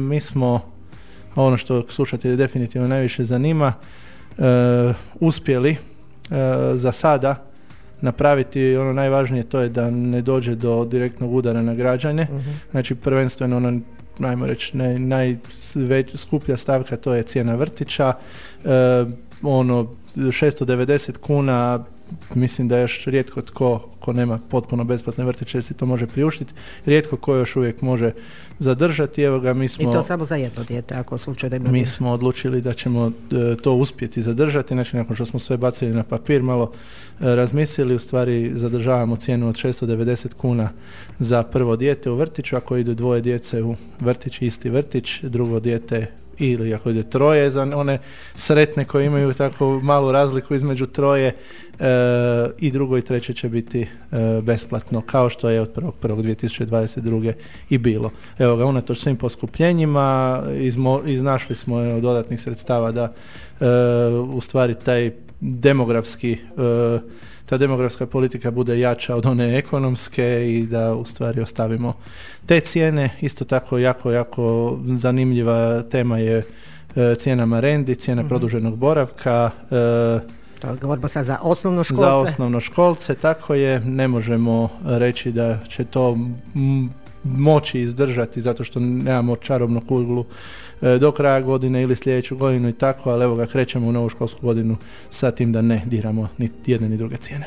Mi smo, ono što slušatelje definitivno najviše zanima, uspjeli za sada napraviti ono najvažnije, to je da ne dođe do direktnog udara na građane. Znači prvenstveno ono, ajmo reći, najskuplja stavka, to je cijena vrtića. 690 kuna, mislim da još rijetko ko nema potpuno besplatne vrtiće jer si to može priuštiti, rijetko ko još uvijek može zadržati. Evo ga, mi smo, i to samo za jedno dijete, ako slučaj da ima. Mi smo odlučili da ćemo to uspjeti zadržati, znači nakon što smo sve bacili na papir, malo razmislili, u stvari zadržavamo cijenu od 690 kuna za prvo dijete u vrtiću, ako idu dvoje djece u vrtić, isti vrtić, drugo dijete ili ako ide troje, za one sretne koji imaju tako malu razliku između troje, i drugo i treće će biti besplatno, kao što je od 1.1.2022. i bilo. Evo ga, unatoč svim poskupljenjima iznašli smo dodatnih sredstava da u stvari ta demografska politika bude jača od one ekonomske i da u stvari ostavimo te cijene. Isto tako jako zanimljiva tema je cijena marendi, cijena produženog boravka. To govorimo sad za osnovnoškolce. Za osnovnoškolce, tako je. Ne možemo reći da će to moći izdržati zato što nemamo čarobnu kuglu do kraja godine ili sljedeću godinu i tako, ali evo ga, krećemo u novu školsku godinu sa tim da ne diramo ni jedne ni druge cijene.